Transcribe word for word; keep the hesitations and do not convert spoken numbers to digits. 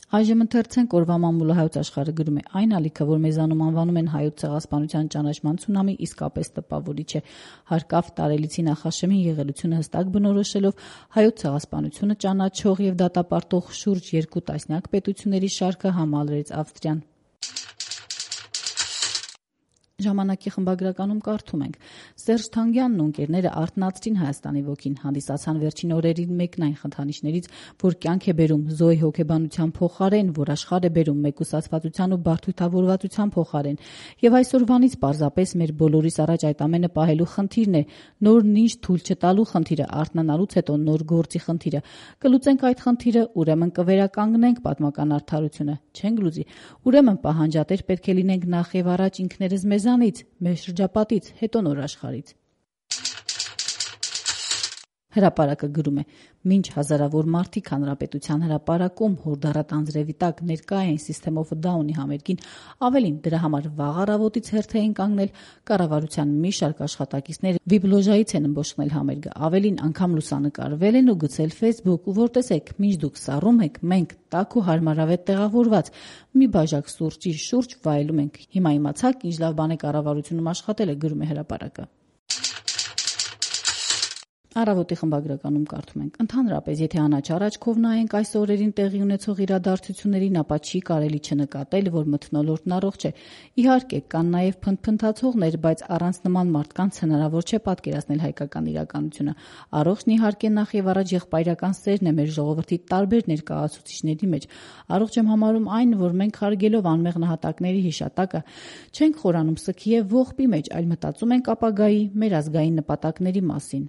Այժմ ընթերցենք օրվա մամուլը հայոց աշխարհը գրում է. այն ալիքը, որ մեզանում անվանում են հայոց ցեղասպանության ճանաչման ցունամի, իսկապես տպավորիչ է։ Հարկավ տարելիցի նախաշեմին եղելությունը հստակ բնորոշելով հայոց ցեղասպանությունը ճանաչող եւ դատապարտող շուրջ երկու տասնյակ պետությունների շարքը համալրեց Ավստրիան։ Ժամանակի խմբագրականում կարդում ենք. Սերժ Թանգյանն ու ընկերները արթնացրին Հայաստանի ոգին, հանդիսացան վերջին օրերին մեկն այն խնդանիշներից, որ կյանք է բերում զոհի հոգեբանության փոխարեն, որ աշխարհ է բերում մեկուսացվածության ու բարդույթավորվածության փոխարեն։ Եվ այսօրվանից պարզապես մեր բոլորիս առաջ այդ ամենը պահելու խնդիրն է, նոր նինջ թույլ չտալու խնդիրը, արթնանալուց հետո նոր գործի խնդիրը։ Կլուծենք այդ խնդիրը, ուրեմն կվերականգնենք պատմական արդարությունը։ Չենք լուծի, ուրեմն պահանջատեր պետք է լինենք նախ եւ առաջ ինքներս մեզանից, մեր շրջապատից, հետո նոր աշխարհից։ Հրապարակը գրում է. մինչ հազարավոր մարդիկ հանրապետության հրապարակում հորդառատ անձրևի տակ ներկա էին System of a Down-ի համերգին, ավելին դրա համար վաղ առավոտից հերթ էին կանգնել կառավարության մի շարք աշխատակիցներ վիբլոժայից են ըմբոշխնել համերգը, ավելին անգամ լուսանկարվել են ու գցել Facebook, ու որ տեսեք, մինչ դուք սառում եք, մենք տաք ու հարմարավետ տեղավորված մի բաժակ սուրճի շուրջ վայելում ենք։ Հիմա իմացաք, ինչ լավ բան է կառավարությունում աշխատելը, գրում է Հրապարակը։ Առավոտի խմբագրականում կարդում ենք. ընդհանրապես, եթե անաչառ աչքով նայենք այս օրերին տեղի ունեցող իրադարձություններին, ապա չի կարելի չնկատել, որ մթնոլորտն առողջ է։ Իհարկե, կան նաև փնթփնթացողներ, բայց առանց նման մարդկանց հնարավոր չէ պատկերացնել հայկական իրականությունը։ Առողջն իհարկե նախ եւ առաջ եղբայրական սերն է մեր ժողովրդի տարբեր ներկայացուցիչների մեջ։ Առողջ եմ համարում այն, որ մենք հարգելով անմեղ նահատակների հիշատակը չենք խորանում սգի եւ ողբի մեջ, այլ մտածում ենք ապագայի մեր ազգային նպատակների մասին։